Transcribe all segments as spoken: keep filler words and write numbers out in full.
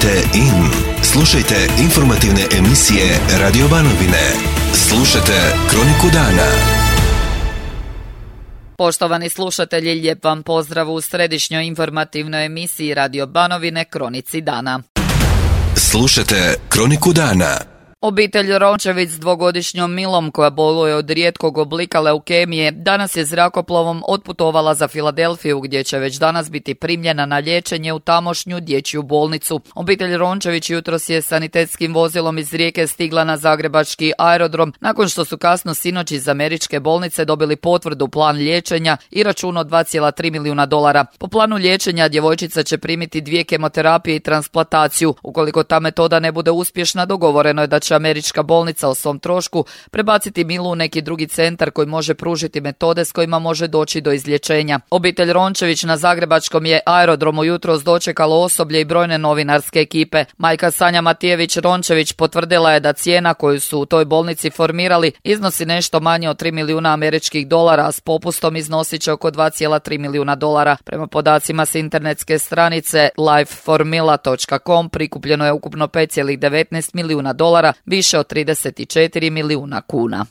Kliknite in. Slušajte informativne emisije Radio Banovine. Slušajte Kroniku dana. Poštovani slušatelji, lijep vam pozdrav u središnjoj informativnoj emisiji Radio Banovine Kronici dana. Slušajte Kroniku dana. Obitelj Rončević s dvogodišnjom Milom, koja boluje od rijetkog oblika leukemije, danas je zrakoplovom otputovala za Filadelfiju, gdje će već danas biti primljena na liječenje u tamošnju dječju bolnicu. Obitelj Rončević jutros je sanitetskim vozilom iz Rijeke stigla na zagrebački aerodrom, nakon što su kasno sinoć iz američke bolnice dobili potvrdu plan liječenja i račun od dva zarez tri milijuna dolara. Po planu liječenja djevojčica će primiti dvije kemoterapije i transplantaciju. Ukoliko ta metoda ne bude uspješna, dogovoreno je da će američka bolnica o svom trošku prebaciti Milu u neki drugi centar koji može pružiti metode s kojima može doći do izlječenja. Obitelj Rončević na zagrebačkom je aerodromu jutros dočekalo osoblje i brojne novinarske ekipe. Majka Sanja Matijević Rončević potvrdila je da cijena koju su u toj bolnici formirali iznosi nešto manje od tri milijuna američkih dolara, a s popustom iznosit će oko dva zarez tri milijuna dolara. Prema podacima s internetske stranice life for mila dot com prikupljeno je ukupno pet zarez devetnaest milijuna dolara, više od trideset četiri milijuna kuna.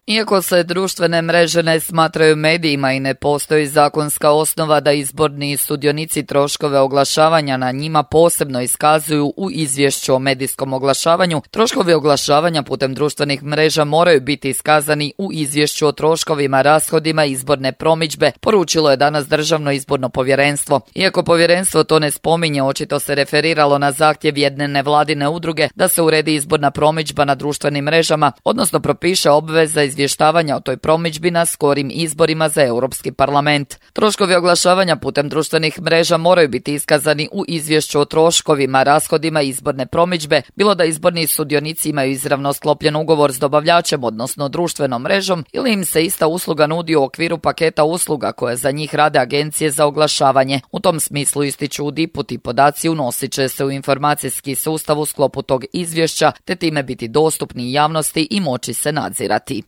Iako se društvene mreže ne smatraju medijima i ne postoji zakonska osnova da izborni sudionici troškove oglašavanja na njima posebno iskazuju u izvješću o medijskom oglašavanju, troškovi oglašavanja putem društvenih mreža moraju biti iskazani u izvješću o troškovima, rashodima izborne promidžbe, poručilo je danas Državno izborno povjerenstvo. Iako povjerenstvo to ne spominje, očito se referiralo na zahtjev jedne nevladine udruge da se uredi izborna promidžba na društvenim mrežama, odnosno propiše obveza izvještavanja o toj promidžbi na skorim izborima za Europski parlament. Troškovi oglašavanja putem društvenih mreža moraju biti iskazani u izvješću o troškovima, rashodima izborne promidžbe, bilo da izborni sudionici imaju izravno sklopljen ugovor s dobavljačem, odnosno društvenom mrežom, ili im se ista usluga nudi u okviru paketa usluga koje za njih rade agencije za oglašavanje. U tom smislu, ističu u D I P-u, ti podaci unosit će se u informacijski sustav u sklopu tog izvješća, te time biti dostupni javnosti i moći se nadzirati.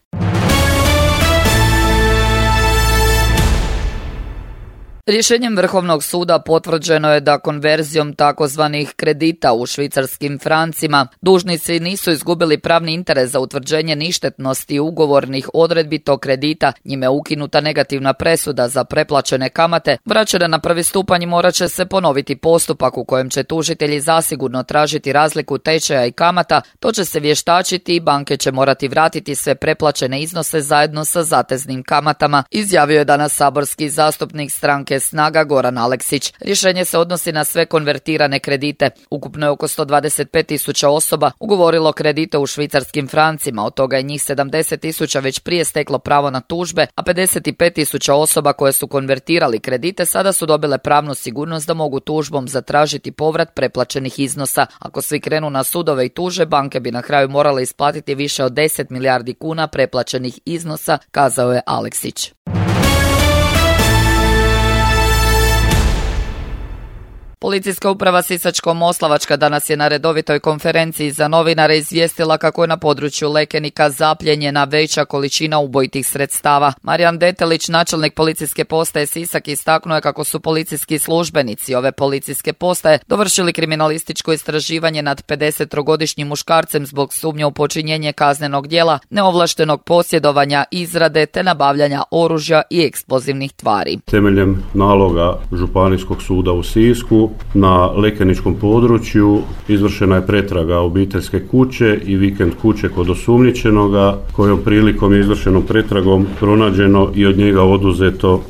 Rješenjem Vrhovnog suda potvrđeno je da konverzijom takozvanih kredita u švicarskim francima dužnici nisu izgubili pravni interes za utvrđenje ništetnosti ugovornih odredbi tog kredita. Njime je ukinuta negativna presuda za preplaćene kamate, vraćena na prvi stupanj i morat će se ponoviti postupak u kojem će tužitelji zasigurno tražiti razliku tečaja i kamata. To će se vještačiti i banke će morati vratiti sve preplaćene iznose zajedno sa zateznim kamatama, izjavio je danas saborski zastupnik stranke Snaga Goran Aleksić. Rješenje se odnosi na sve konvertirane kredite. Ukupno je oko sto dvadeset pet tisuća osoba ugovorilo kredite u švicarskim francima, od toga je njih sedamdeset tisuća već prije steklo pravo na tužbe, a pedeset pet tisuća osoba koje su konvertirali kredite sada su dobile pravnu sigurnost da mogu tužbom zatražiti povrat preplaćenih iznosa. Ako svi krenu na sudove i tuže, banke bi na kraju morale isplatiti više od deset milijardi kuna preplaćenih iznosa, kazao je Aleksić. Policijska uprava Sisačko-moslavačka danas je na redovitoj konferenciji za novinare izvijestila kako je na području Lekenika zapljenjena veća količina ubojitih sredstava. Marijan Detelić, načelnik policijske postaje Sisak, istaknuo je kako su policijski službenici ove policijske postaje dovršili kriminalističko istraživanje nad pedesettrogodišnjim muškarcem zbog sumnje u počinjenje kaznenog djela, neovlaštenog posjedovanja, izrade te nabavljanja oružja i eksplozivnih tvari. Temeljem naloga Županijskog suda u Sisku na lekeničkom području izvršena je pretraga obiteljske kuće i vikend kuće kod osumnjičenoga, kojom prilikom je izvršenom pretragom pronađeno i od njega oduzeto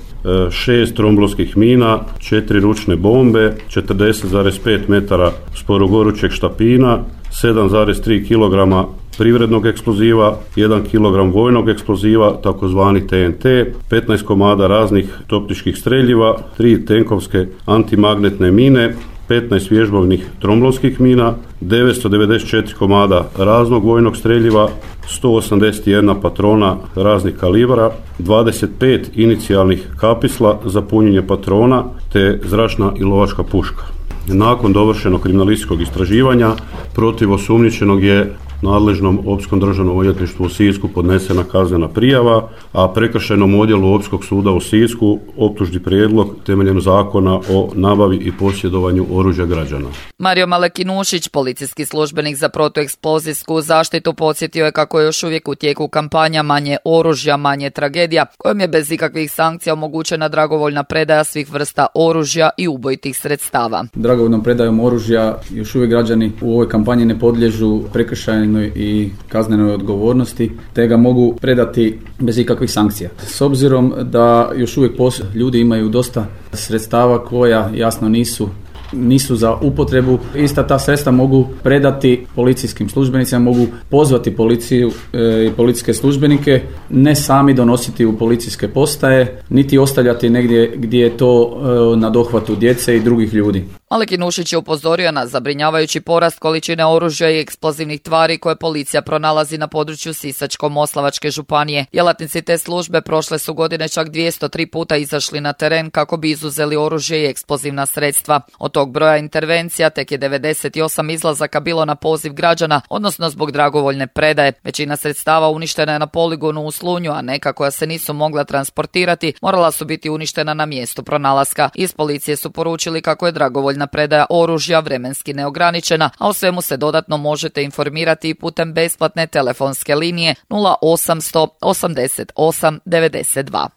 šest tromblonskih mina, četiri ručne bombe, četrdeset zarez pet metara sporogorućeg štapina, sedam zarez tri kilograma privrednog eksploziva, jedan kilogram vojnog eksploziva, takozvani T N T, petnaest komada raznih topničkih streljiva, tri tenkovske antimagnetne mine, petnaest vježbovnih tromblonskih mina, devetsto devedeset četiri komada raznog vojnog streljiva, sto osamdeset jedna patrona raznih kalibara, dvadeset pet inicijalnih kapisla za punjenje patrona te zračna i lovačka puška. Nakon dovršenog kriminalističkog istraživanja protiv osumnjičenog je nadležnom Općinskom državnom odvjetništvu u Sisku podnesena kaznena prijava, a Prekršajnom odjelu Općinskog suda u Sisku optužni prijedlog temeljem zakona o nabavi i posjedovanju oružja građana. Mario Malekinušić, policijski službenik za protueksplozijsku zaštitu, podsjetio je kako je još uvijek u tijeku kampanja Manje oružja, manje tragedija, kojom je bez ikakvih sankcija omogućena dragovoljna predaja svih vrsta oružja i ubojitih sredstava. Dragovoljnom predajom oružja još uvijek građani u ovoj kampanji ne podliježu prekršajnoj i kaznenoj odgovornosti, te ga mogu predati bez ikakvih sankcija. S obzirom da još uvijek ljudi imaju dosta sredstava koja jasno nisu nisu za upotrebu, ista ta sredstva mogu predati policijskim službenicima, mogu pozvati policiju i e, policijske službenike, ne sami donositi u policijske postaje, niti ostavljati negdje gdje je to e, na dohvatu djece i drugih ljudi. Malekinušić je upozorio na zabrinjavajući porast količine oružja i eksplozivnih tvari koje policija pronalazi na području Sisačko-moslavačke županije. Djelatnici te službe prošle su godine čak dvjesto tri puta izašli na teren kako bi izuzeli oružje i eksplozivna sredstva. Od tog broja intervencija tek je devedeset osam izlazaka bilo na poziv građana, odnosno zbog dragovoljne predaje. Većina sredstava uništena je na poligonu u Slunju, a neka koja se nisu mogla transportirati morala su biti uništena na mjestu pronalaska. Iz policije su poručili kako je dragovoljna predaja oružja vremenski neograničena, a o svemu se dodatno možete informirati i putem besplatne telefonske linije nula osamsto osamdeset osam devedeset dva.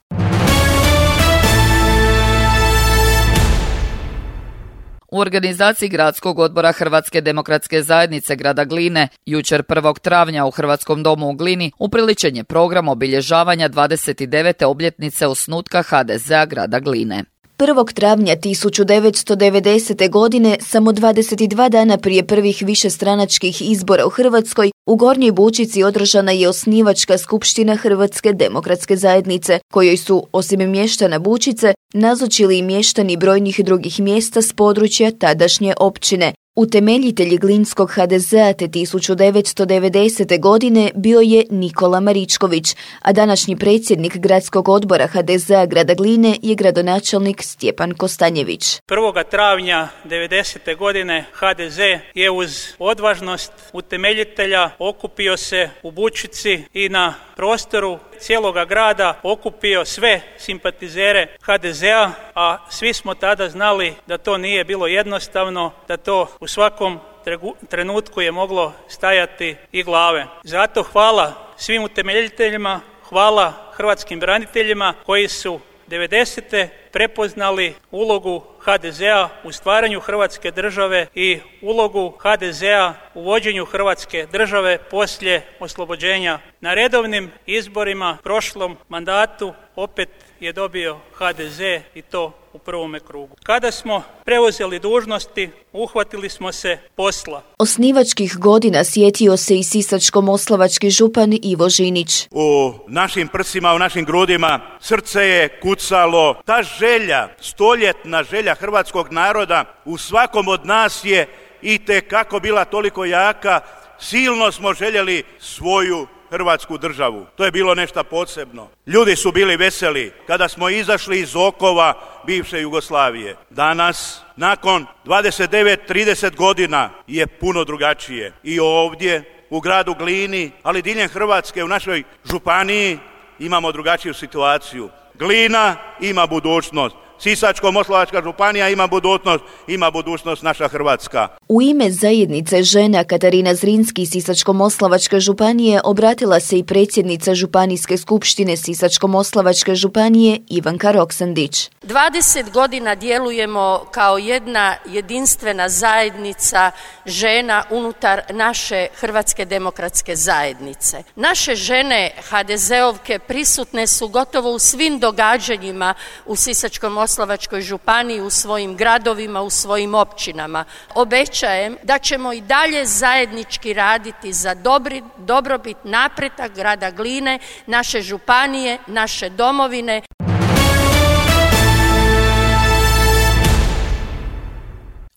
U organizaciji Gradskog odbora Hrvatske demokratske zajednice grada Gline jučer prvog travnja u Hrvatskom domu u Glini upriličen je program obilježavanja dvadeset devete obljetnice osnutka ha de zea grada Gline. prvog travnja tisuću devetsto devedesete. godine, samo dvadeset dva dana prije prvih višestranačkih izbora u Hrvatskoj, u Gornjoj Bučici održana je osnivačka skupština Hrvatske demokratske zajednice, kojoj su, osim mještana Bučice, nazočili i mještani brojnih drugih mjesta s područja tadašnje općine. Utemeljitelj Glinskog ha de zea te tisuću devetsto devedesete. godine bio je Nikola Maričković, a današnji predsjednik Gradskog odbora ha de zea grada Gline je gradonačelnik Stjepan Kostanjević. prvog travnja devedesete. godine ha de ze je uz odvažnost utemeljitelja okupio se u Bučici i na prostoru cijeloga grada okupio sve simpatizere ha de zea, a svi smo tada znali da to nije bilo jednostavno, da to u svakom trenutku je moglo stajati i glave. Zato hvala svim utemeljiteljima, hvala hrvatskim braniteljima koji su devedesete prepoznali ulogu ha de zea u stvaranju Hrvatske države i ulogu ha de zea u vođenju Hrvatske države poslije oslobođenja. Na redovnim izborima prošlom mandatu opet je dobio ha de ze i to u prvome krugu. Kada smo preuzeli dužnosti, uhvatili smo se posla. Osnivačkih godina sjetio se i sisačko-moslavački župan Ivo Žinić. U našim prsima, u našim grudima srce je kucalo. Ta želja, stoljetna želja hrvatskog naroda u svakom od nas je itekako bila toliko jaka. Silno smo željeli svoju Hrvatsku državu. To je bilo nešto posebno. Ljudi su bili veseli kada smo izašli iz okova bivše Jugoslavije. Danas, nakon dvadeset devet trideset godina, je puno drugačije. I ovdje, u gradu Glini, ali diljem Hrvatske, u našoj županiji, imamo drugačiju situaciju. Glina ima budućnost. Sisačko-moslavačka županija ima budućnost, ima budućnost naša Hrvatska. U ime zajednice žena Katarina Zrinski Sisačko-moslavačke županije obratila se i predsjednica Županijske skupštine Sisačko-moslavačke županije Ivanka Roksandić. dvadeset godina djelujemo kao jedna jedinstvena zajednica žena unutar naše Hrvatske demokratske zajednice. Naše žene ha de zeovke prisutne su gotovo u svim događanjima u Sisačko-moslavačkoj Sisačko-moslavačkoj županiji, u svojim gradovima, u svojim općinama. Obećajem da ćemo i dalje zajednički raditi za dobri, dobrobit, napredak grada Gline, naše županije, naše domovine.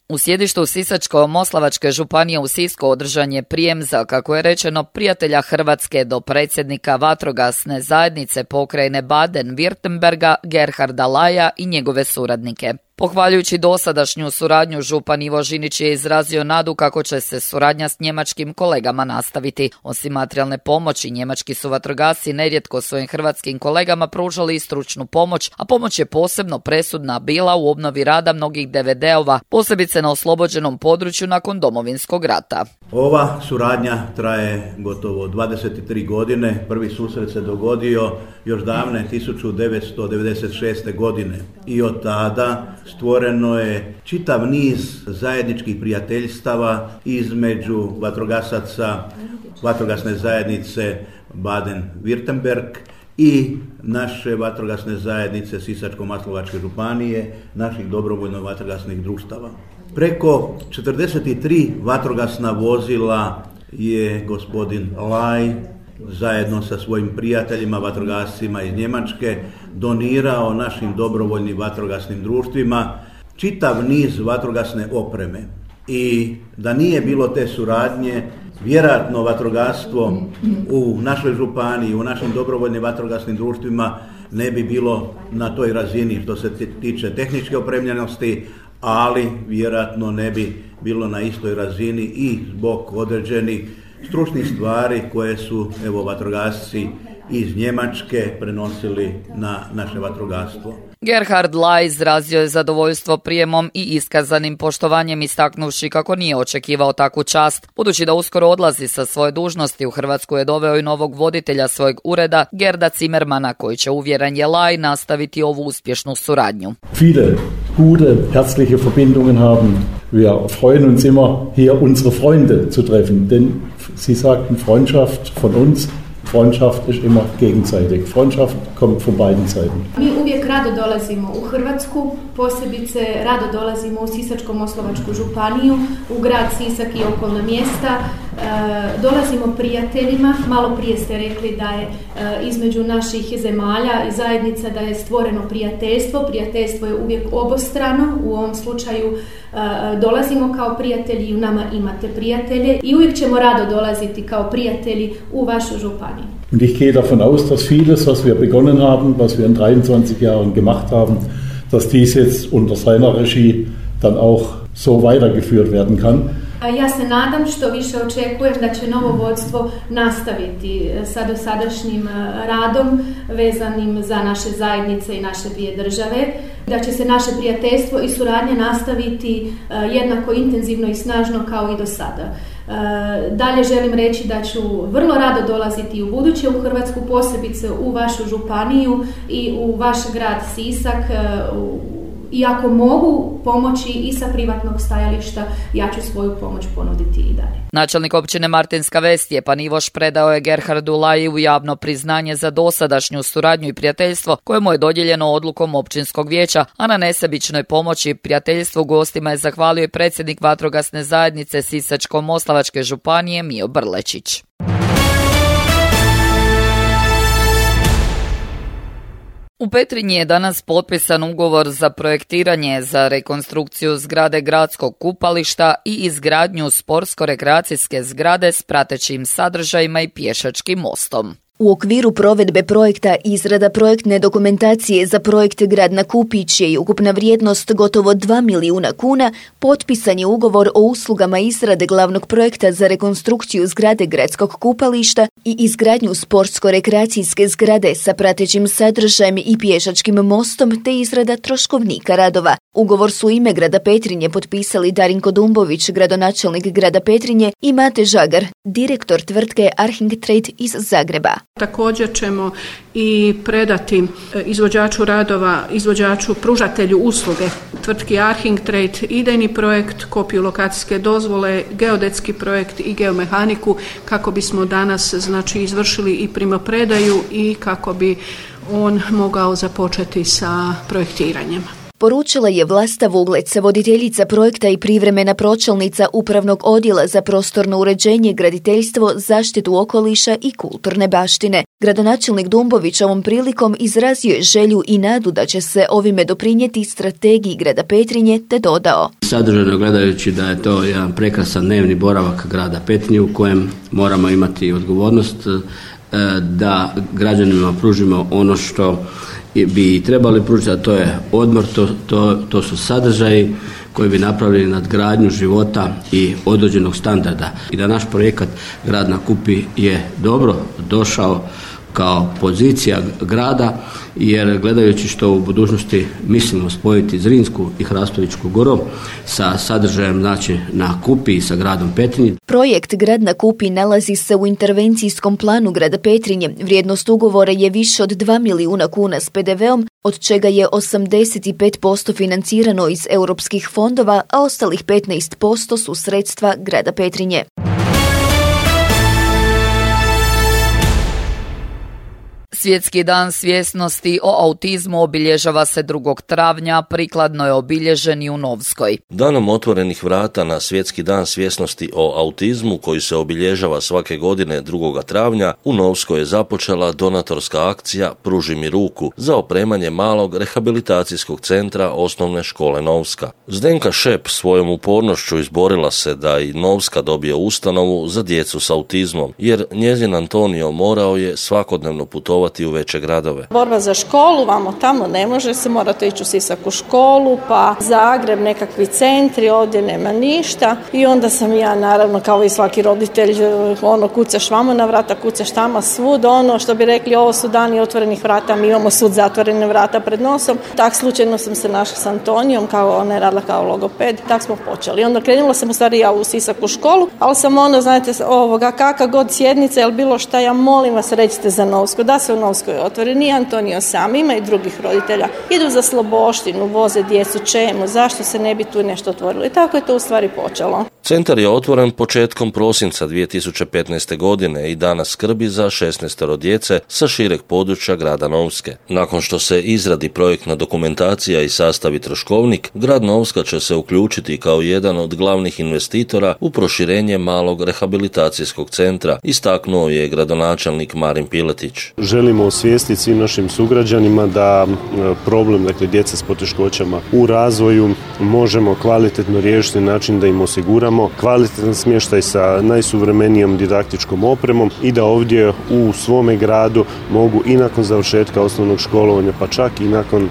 U sjedištu Sisačko-moslavačke županije u Sisku održan je prijem za, kako je rečeno, prijatelja Hrvatske do predsjednika vatrogasne zajednice pokrajine Baden-Württemberga Gerharda Laja i njegove suradnike. Pohvaljujući dosadašnju suradnju, župan Ivo Žinić je izrazio nadu kako će se suradnja s njemačkim kolegama nastaviti. Osim materijalne pomoći, njemački su vatrogasci nerijetko svojim hrvatskim kolegama pružali i stručnu pomoć, a pomoć je posebno presudna bila u obnovi rada mnogih D V D-ova, posebice na oslobođenom području nakon Domovinskog rata. Ova suradnja traje gotovo dvadeset tri godine. Prvi susret se dogodio još davne tisuću devetsto devedeset šeste. godine i od tada stvoreno je čitav niz zajedničkih prijateljstava između vatrogasaca vatrogasne zajednice Baden-Württemberg i naše vatrogasne zajednice Sisačko-moslavačke županije, naših dobrovoljno vatrogasnih društava. Preko četrdeset tri vatrogasna vozila je gospodin Laj zajedno sa svojim prijateljima, vatrogascima iz Njemačke, donirao našim dobrovoljnim vatrogasnim društvima čitav niz vatrogasne opreme. I da nije bilo te suradnje, vjerojatno vatrogastvo u našoj županiji, u našim dobrovoljnim vatrogasnim društvima ne bi bilo na toj razini što se tiče tehničke opremljenosti, ali vjerojatno ne bi bilo na istoj razini i zbog određenih stručnih stvari koje su evo vatrogasci iz Njemačke prenosili na naše vatrogastvo. Gerhard Laj izrazio je zadovoljstvo prijemom i iskazanim poštovanjem, istaknuvši kako nije očekivao takvu čast. Budući da uskoro odlazi sa svoje dužnosti, u Hrvatsku je doveo i novog voditelja svojeg ureda, Gerda Zimmermana, koji će, uvjeren je Laj, nastaviti ovu uspješnu suradnju. Viele gute, herzliche Verbindungen haben. Wir freuen uns immer, hier unsere Freunde zu treffen, denn Sie sagten Freundschaft von uns. Freundschaft ist immer gegenseitig. Freundschaft kommt von beiden Seiten. Mi uvijek rado dolazimo u Hrvatsku, posebice rado dolazimo u Sisačko-moslavačku županiju, u grad Sisak i okolna mjesta. E, dolazimo prijateljima, malo prije ste rekli da je e, između naših zemalja i zajednica da je stvoreno prijateljstvo. Prijateljstvo je uvijek obostrano, u ovom slučaju e, dolazimo kao prijatelji i u nama imate prijatelje i uvijek ćemo rado dolaziti kao prijatelji u vašu županiju. Und ich gehe davon aus, dass vieles, was wir begonnen haben, was wir in dreiundzwanzig Jahren gemacht haben, dass dies jetzt unter seiner Regie dann auch so weitergeführt werden kann. Ja se nadam, što više očekujem da će novo vodstvo nastaviti sa dosadašnjim radom vezanim za naše zajednice i naše dvije države, da će se naše prijateljstvo i suradnja nastaviti jednako intenzivno i snažno kao i do sada. Dalje želim reći da ću vrlo rado dolaziti u buduće u Hrvatsku, posebice u vašu županiju i u vaš grad Sisak. I ako mogu pomoći i sa privatnog stajališta, ja ću svoju pomoć ponuditi i dalje. Načelnik općine Martinska Ves Stjepan Ivoš predao je Gerhardu Laju javno priznanje za dosadašnju suradnju i prijateljstvo koje mu je dodijeljeno odlukom općinskog vijeća, a na nesebičnoj pomoći i prijateljstvu gostima je zahvalio i predsjednik vatrogasne zajednice Sisačko-moslavačke županije Mijo Brlečić. U Petrinji je danas potpisan ugovor za projektiranje za rekonstrukciju zgrade gradskog kupališta i izgradnju sportsko-rekreacijske zgrade s pratećim sadržajima i pješačkim mostom. U okviru provedbe projekta izrada projektne dokumentacije za projekt Grad na Kupić je ukupna vrijednost gotovo dva milijuna kuna, potpisan je ugovor o uslugama izrade glavnog projekta za rekonstrukciju zgrade gradskog kupališta i izgradnju sportsko-rekreacijske zgrade sa pratećim sadržajem i pješačkim mostom te izrada troškovnika radova. Ugovor su u ime grada Petrinje potpisali Darinko Dumbović, gradonačelnik grada Petrinje, i Mate Žagar, direktor tvrtke Arching Trade iz Zagreba. Također ćemo i predati izvođaču radova, izvođaču pružatelju usluge tvrtki Arching Trade idejni projekt, kopiju lokacijske dozvole, geodetski projekt i geomehaniku kako bismo danas znači izvršili i primopredaju i kako bi on mogao započeti sa projektiranjem. Poručila je Vlasta Vuglec, voditeljica projekta i privremena pročelnica Upravnog odjela za prostorno uređenje, graditeljstvo, zaštitu okoliša i kulturne baštine. Gradonačelnik Dumbović ovom prilikom izrazio je želju i nadu da će se ovime doprinijeti strategiji grada Petrinje, te dodao: Sadržajno gledajući da je to jedan prekrasan dnevni boravak grada Petrinje u kojem moramo imati odgovornost da građanima pružimo ono što bi trebali pružiti, a to je odmor, to, to, to su sadržaji koji bi napravili nadgradnju života i određenog standarda. I da naš projekat Grad na Kupi je dobro došao kao pozicija grada, jer gledajući što u budućnosti mislimo spojiti Zrinsku i Hrastovičku goru sa sadržajem znači na Kupi i sa gradom Petrinje. Projekt Grad na Kupi nalazi se u intervencijskom planu grada Petrinje. Vrijednost ugovora je više od dva milijuna kuna s pe de veom, od čega je osamdeset pet posto financirano iz europskih fondova, a ostalih petnaest posto su sredstva grada Petrinje. Svjetski dan svjesnosti o autizmu obilježava se drugog travnja, prikladno je obilježen i u Novskoj. Danom otvorenih vrata na Svjetski dan svjesnosti o autizmu, koji se obilježava svake godine drugog travnja, u Novskoj je započela donatorska akcija Pruži mi ruku za opremanje malog rehabilitacijskog centra osnovne škole Novska. Zdenka Šep svojom upornošću izborila se da i Novska dobije ustanovu za djecu s autizmom, jer njezin Antonio morao je svakodnevno putovati u veće gradove. Borba za školu, vamo tamo ne može se, morate ići u Sisak u školu, pa Zagreb, nekakvi centri, ovdje nema ništa. I onda sam ja, naravno, kao i svaki roditelj, ono, kucaš vamo na vrata, kucaš tamo svud, ono što bi rekli, ovo su dani otvorenih vrata, mi imamo svud zatvorene vrata pred nosom. Tak slučajno sam se našla s Antonijom, kao ona je radila kao logoped, tak smo počeli. Onda krenula sam u stvari ja u Sisak u školu, ali sam ono, znate, ovoga, kakva god sjednica ili bilo šta, ja molim vas, recite za Novsku, da se u Novskoj otvori. Nije Antonio sam, ima i drugih roditelja. Idu za Sloboštinu, voze djecu, čemu, zašto se ne bi tu nešto otvorilo. I tako je to u stvari počelo. Centar je otvoren početkom prosinca dvije tisuće petnaeste. godine i danas skrbi za šesnaestoro djece sa šireg područja grada Novske. Nakon što se izradi projektna dokumentacija i sastavi troškovnik, grad Novska će se uključiti kao jedan od glavnih investitora u proširenje malog rehabilitacijskog centra, istaknuo je gradonačelnik Marin Piletić. Želimo osvijestiti svim našim sugrađanima da problem, dakle, djece s poteškoćama u razvoju možemo kvalitetno riješiti na način da im osiguramo kvalitetan smještaj sa najsuvremenijom didaktičkom opremom i da ovdje u svome gradu mogu i nakon završetka osnovnog školovanja, pa čak i nakon e,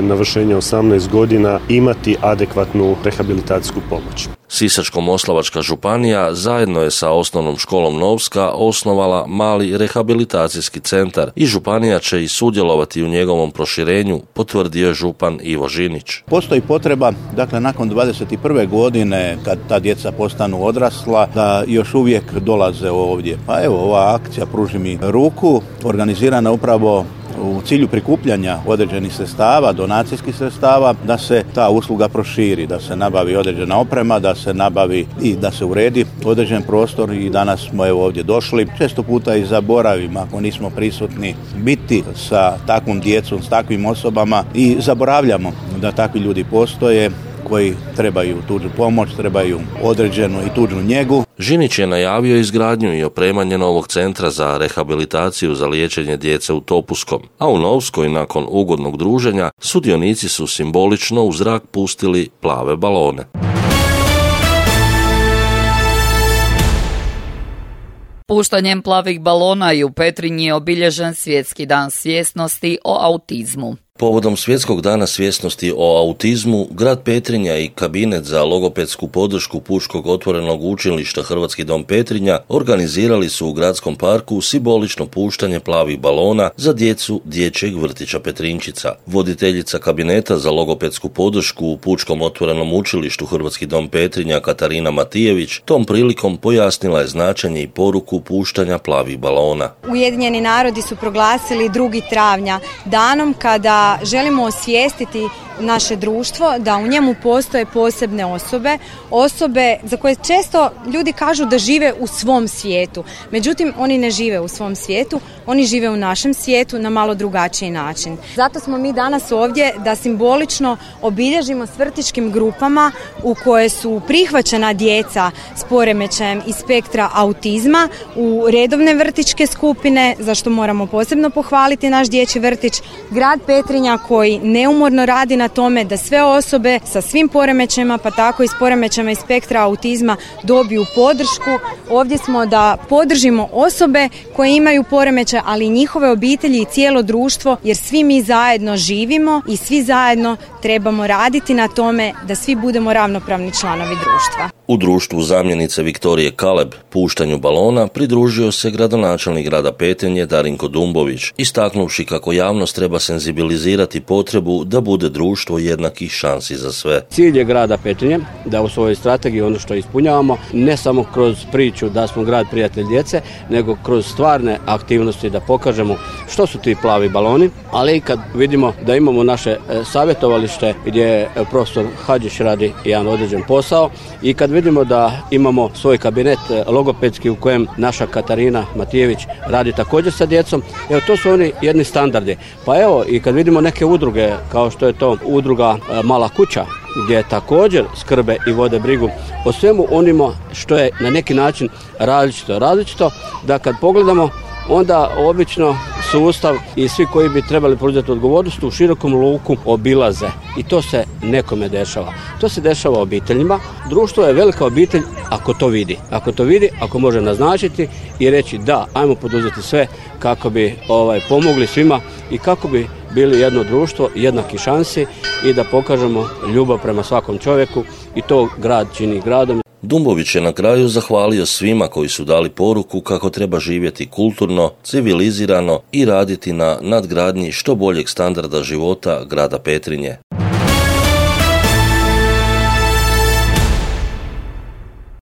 navršenja osamnaest godina imati adekvatnu rehabilitacijsku pomoć. Sisačko-moslavačka županija zajedno je sa osnovnom školom Novska osnovala mali rehabilitacijski centar i županija će i sudjelovati u njegovom proširenju, potvrdio je župan Ivo Žinić. Postoji potreba, dakle, nakon dvadeset prve godine, kad ta djeca postanu odrasla, da još uvijek dolaze ovdje. Pa evo, ova akcija Pruži mi ruku, organizirana upravo u cilju prikupljanja određenih sredstava, donacijskih sredstava, da se ta usluga proširi, da se nabavi određena oprema, da se nabavi i da se uredi određen prostor i danas smo evo ovdje došli. Često puta i zaboravimo, ako nismo prisutni, biti sa takvom djecom, s takvim osobama i zaboravljamo da takvi ljudi postoje koji trebaju tuđu pomoć, trebaju određenu i tuđu njegu. Žinić je najavio izgradnju i opremanje novog centra za rehabilitaciju za liječenje djece u Topuskom, a u Novskoj nakon ugodnog druženja sudionici su simbolično u zrak pustili plave balone. Puštanjem plavih balona i u Petrinji je obilježen Svjetski dan svjesnosti o autizmu. Povodom Svjetskog dana svjesnosti o autizmu, grad Petrinja i kabinet za logopedsku podršku Pučkog otvorenog učilišta Hrvatski dom Petrinja organizirali su u gradskom parku simbolično puštanje plavih balona za djecu dječjeg vrtića Petrinčica. Voditeljica kabineta za logopedsku podršku u Pučkom otvorenom učilištu Hrvatski dom Petrinja Katarina Matijević tom prilikom pojasnila je značenje i poruku puštanja plavih balona. Ujedinjeni narodi su proglasili drugi travnja danom kada želimo osvijestiti naše društvo da u njemu postoje posebne osobe, osobe za koje često ljudi kažu da žive u svom svijetu. Međutim, oni ne žive u svom svijetu, oni žive u našem svijetu na malo drugačiji način. Zato smo mi danas ovdje da simbolično obilježimo s vrtićkim grupama u koje su prihvaćena djeca s poremećajem iz spektra autizma u redovne vrtićke skupine, za što moramo posebno pohvaliti naš dječji vrtić, grad Petrinja koji neumorno radi na na tome da sve osobe sa svim poremećajima, pa tako i s poremećajima iz spektra autizma dobiju podršku. Ovdje smo da podržimo osobe koje imaju poremećaj, ali i njihove obitelji i cijelo društvo, jer svi mi zajedno živimo i svi zajedno trebamo raditi na tome da svi budemo ravnopravni članovi društva. U društvu zamjenice Viktorije Kaleb puštanju balona pridružio se gradonačelnik grada Petrinje Darinko Dumbović, istaknuvši kako javnost treba senzibilizirati potrebu da bude društvo jednakih šansi za sve. Cilj je grada Petrinje da u svojoj strategiji ono što ispunjavamo, ne samo kroz priču da smo grad prijatelj djece, nego kroz stvarne aktivnosti da pokažemo što su ti plavi baloni, ali i kad vidimo da imamo naše savjetovalište gdje profesor Hadžić radi jedan određen posao i kad vidimo da imamo svoj kabinet logopedski u kojem naša Katarina Matijević radi također sa djecom, evo to su oni jedni standardi. Pa evo i kad vidimo neke udruge kao što je to udruga Mala kuća gdje također skrbe i vode brigu o svemu onima što je na neki način različito. Različito da kad pogledamo onda obično sustav i svi koji bi trebali preuzeti odgovornost u širokom luku obilaze i to se nekome dešava. To se dešava obiteljima. Društvo je velika obitelj ako to vidi. Ako to vidi, ako može naznačiti i reći da, ajmo poduzeti sve kako bi ovaj, pomogli svima i kako bi bili jedno društvo, jednaki šansi i da pokažemo ljubav prema svakom čovjeku i to grad čini gradom. Dumbović je na kraju zahvalio svima koji su dali poruku kako treba živjeti kulturno, civilizirano i raditi na nadgradnji što boljeg standarda života grada Petrinje.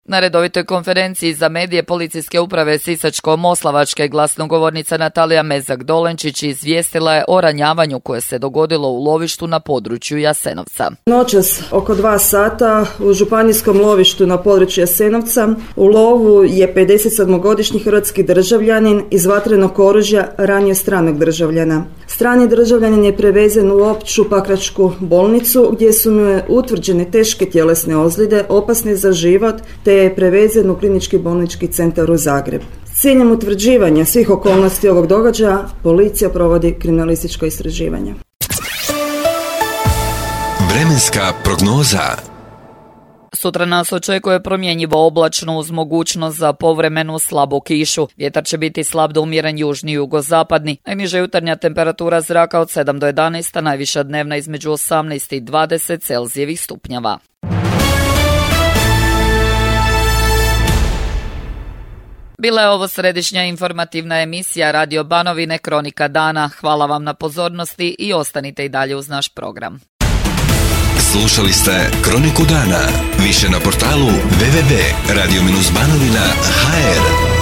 Na redovitoj konferenciji za medije Policijske uprave Sisačko-Moslavačke glasnogovornica Natalija Mezak-Dolenčić izvijestila je o ranjavanju koje se dogodilo u lovištu na području Jasenovca. Noćas oko dva sata u županijskom lovištu na području Jasenovca u lovu je pedesetsedmogodišnji hrvatski državljanin iz vatrenog oružja ranio stranog državljana. Strani državljanin je prevezen u opću pakračku bolnicu gdje su mu utvrđene teške tjelesne ozljede, opasne za život, te je prevezen u klinički bolnički centar u Zagreb. S ciljem utvrđivanja svih okolnosti ovog događaja, policija provodi kriminalističko istraživanje. Vremenska prognoza. Sutra nas očekuje promjenjivo oblačno uz mogućnost za povremenu slabu kišu. Vjetar će biti slab do umjeren južni i jugozapadni. Najniža jutarnja temperatura zraka od sedam do jedanaest, a najviša dnevna između osamnaest i dvadeset Celzijevih stupnjeva. Bila je ovo središnja informativna emisija Radio Banovine Kronika dana. Hvala vam na pozornosti i ostanite i dalje uz naš program. Slušali ste Kroniku dana. Više na portalu w w w tačka radio banovina tačka h r.